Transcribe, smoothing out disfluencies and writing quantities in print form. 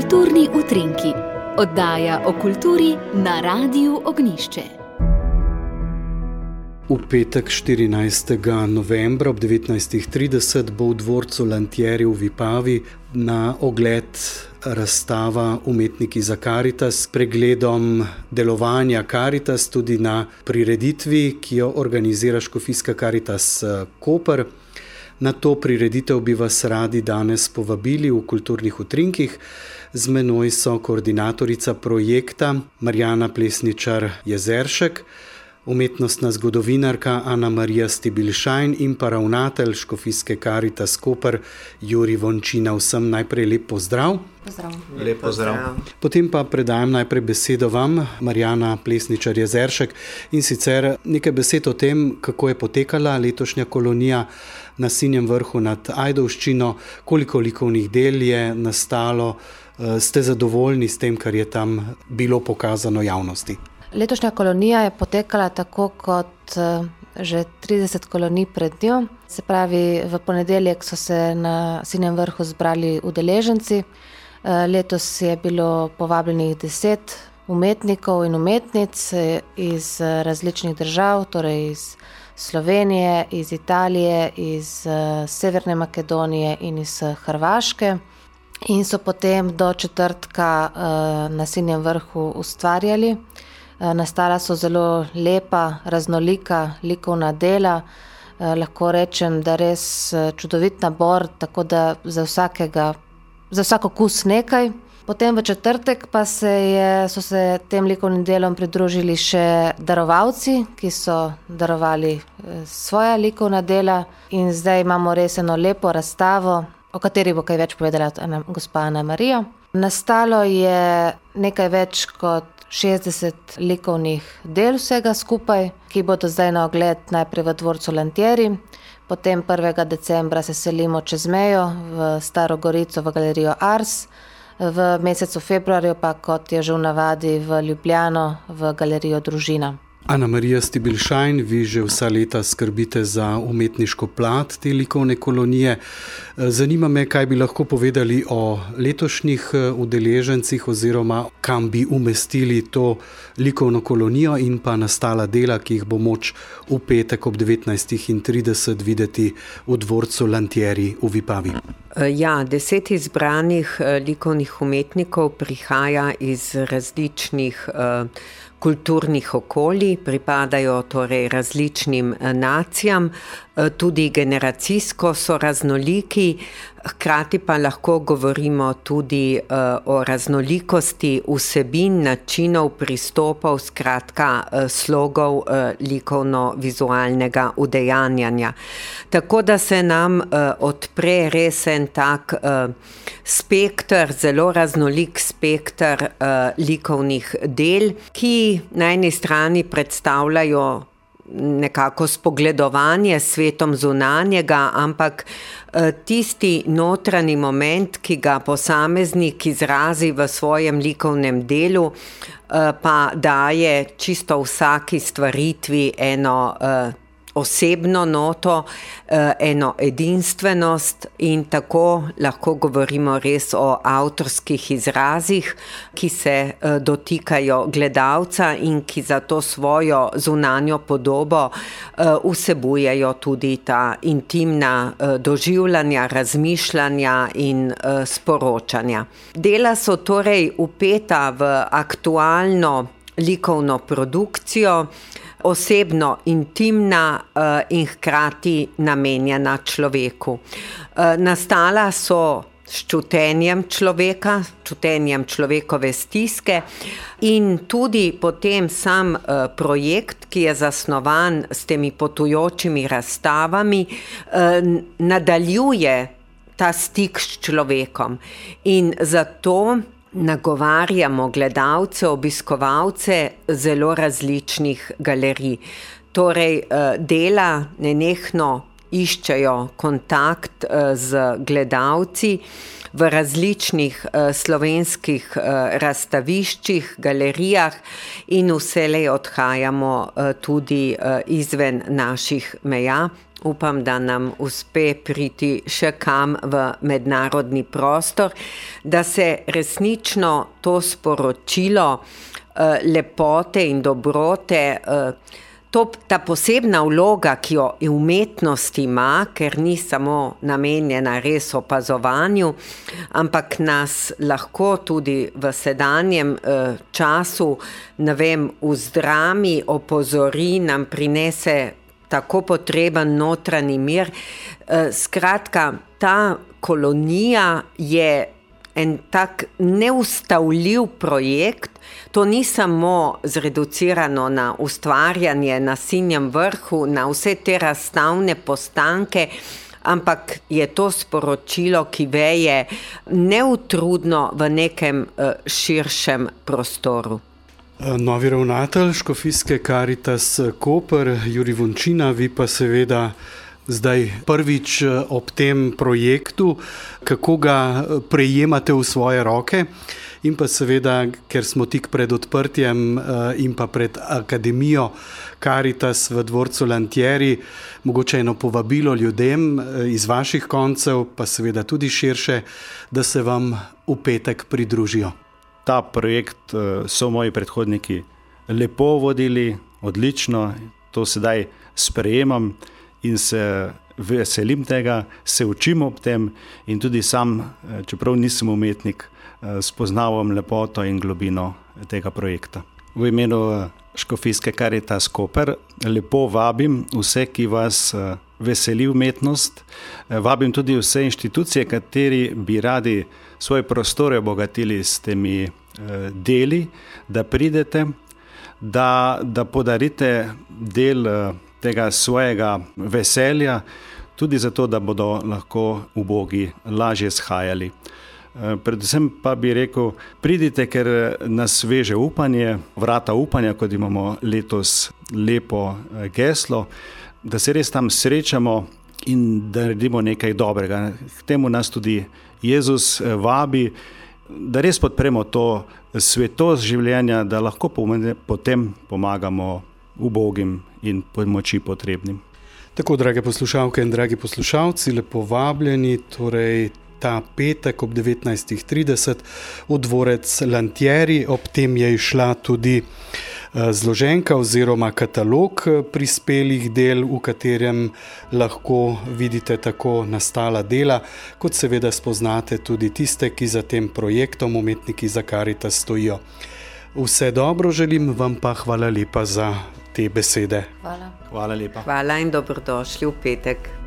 Kulturni utrinki, oddaja o kulturi na Radiu Ognjišče. V petek 14. novembra ob 19.30 bo v dvorcu Lantieri v Vipavi na ogled razstava Umetniki za Karitas s pregledom delovanja Karitas tudi na prireditvi, ki jo organizira Škofijska Karitas Koper. Na to prireditev bi vas radi danes povabili v kulturnih utrinkih. Z menoj so koordinatorica projekta Marjana Plesničar-Jezeršek, umetnostna zgodovinarka Ana Marija Stibilšajn in pa ravnatelj Škofijske Karitas Koper Jurij Vončina. Vsem najprej lep pozdrav. Pozdrav. Lep pozdrav. Potem pa predajam najprej besedo vam, Marjana Plesničar-Jezeršek, in sicer nekaj besed o tem, kako je potekala letošnja kolonija na Sinjem vrhu nad Ajdovščino, koliko likovnih del je nastalo, ste zadovoljni s tem, kar je tam bilo pokazano javnosti? Letošnja kolonija je potekala tako kot že 30 kolonij pred njo. Se pravi, v ponedeljek so se na Sinjem vrhu zbrali udeleženci. Letos je bilo povabljenih 10 umetnikov in umetnic iz različnih držav, torej iz Slovenije, iz Italije, iz Severne Makedonije in iz Hrvaške. In so potem do četrtka na Sinjem vrhu ustvarjali. Nastala so zelo lepa, raznolika likovna dela. Lahko rečem, da res čudovit nabor, tako da za vsak okus nekaj. Potem v četrtek pa so se tem likovnim delom pridružili še darovalci, ki so darovali svoja likovna dela. In zdaj imamo res eno lepo razstavo, o kateri bo kaj več povedala gospa Ana Marija. Nastalo je nekaj več kot 60 likovnih del vsega skupaj, ki bodo zdaj na ogled najprej v dvorcu Lantieri, potem 1. decembra se selimo čez mejo v Staro Gorico v galerijo Ars, v mesecu februarju pa, kot je že v navadi, v Ljubljano v galerijo Družina. Ana Marija Stibilšajn, vi že vsa leta skrbite za umetniško plat te likovne kolonije. Zanima me, kaj bi lahko povedali o letošnjih udeležencih oziroma kam bi umestili to likovno kolonijo in pa nastala dela, ki jih bo moč v petek ob 19.30 videti v dvorcu Lantieri v Vipavi. 10 izbranih likovnih umetnikov prihaja iz različnih kulturnih okolij, pripadajo torej različnim nacijam, tudi generacijsko so raznoliki, hkrati pa lahko govorimo tudi o raznolikosti vsebin, načinov, pristopov, skratka slogov likovno-vizualnega udejanjanja. Tako da se nam odpre res en tak spekter, zelo raznolik spekter likovnih del, ki na eni strani predstavljajo nekako spogledovanje s svetom zunanjega, ampak tisti notranji moment, ki ga posameznik izrazi v svojem likovnem delu, pa daje čisto vsaki stvaritvi eno osebno noto, eno edinstvenost in tako lahko govorimo res o avtorskih izrazih, ki se dotikajo gledalca in ki za to svojo zunanjo podobo vsebujejo tudi ta intimna doživljanja, razmišljanja in sporočanja. Dela so torej vpeta v aktualno likovno produkcijo, osebno intimna in hkrati namenjena človeku. Nastala so s čutenjem človeka, čutenjem človekove stiske in tudi potem sam projekt, ki je zasnovan s temi potujočimi razstavami, nadaljuje ta stik s človekom in zato nagovarjamo gledalce, obiskovalce zelo različnih galerij. Torej, dela nenehno iščejo kontakt z gledalci v različnih slovenskih razstaviščih, galerijah in vselej odhajamo tudi izven naših meja. upam, da nam uspe priti še kam v mednarodni prostor, da se resnično to sporočilo lepote in dobrote, ta posebna vloga, ki jo umetnost ima, ker ni samo namenjena res opazovanju, ampak nas lahko tudi v sedanjem času, vzdrami, opozori, nam prinese tako potreben notranji mir. Skratka, ta kolonija je en tak neustavljiv projekt. To ni samo zreducirano na ustvarjanje na Sinjem vrhu, na vse te razstavne postanke, ampak je to sporočilo, ki veje neutrudno v nekem širšem prostoru. Novi ravnatelj Škofijske Karitas Koper, Jurij Vončina, vi pa seveda zdaj prvič ob tem projektu, kako ga prejemate v svoje roke in pa seveda, ker smo tik pred odprtjem in pa pred Akademijo Karitas v dvorcu Lantieri, mogoče eno povabilo ljudem iz vaših koncev, pa seveda tudi širše, da se vam v petek pridružijo. Ta projekt so moji predhodniki lepo vodili, odlično, to sedaj sprejemam in se veselim tega, se učim ob tem in tudi sam, čeprav nisem umetnik, spoznavam lepoto in globino tega projekta. V imenu Škofijske Karitas Koper lepo vabim vse, ki vas veseli umetnost, vabim tudi vse inštitucije, kateri bi radi svoje prostore obogatili s temi deli, da pridete, da podarite del tega svojega veselja, tudi zato, da bodo lahko ubogi lažje shajali. Predvsem pa bi rekel, pridite, ker nas veže upanje, vrata upanja, kot imamo letos lepo geslo, da se res tam srečamo in da naredimo nekaj dobrega. K temu nas tudi Jezus vabi, da res podpremo to svetost življenja, da lahko potem pomagamo ubogim in pomoči potrebnim. Tako, drage poslušalke in dragi poslušalci, lepo vabljeni, torej ta petek ob 19:30 v dvorec Lantieri. Ob tem je išla tudi zloženka oziroma katalog prispelih del, v katerem lahko vidite tako nastala dela, kot seveda spoznate tudi tiste, ki za tem projektom Umetniki za Karitas stojijo. Vse dobro želim, vam pa hvala lepa za te besede. Hvala. Hvala lepa. Hvala in dobrodošli v petek.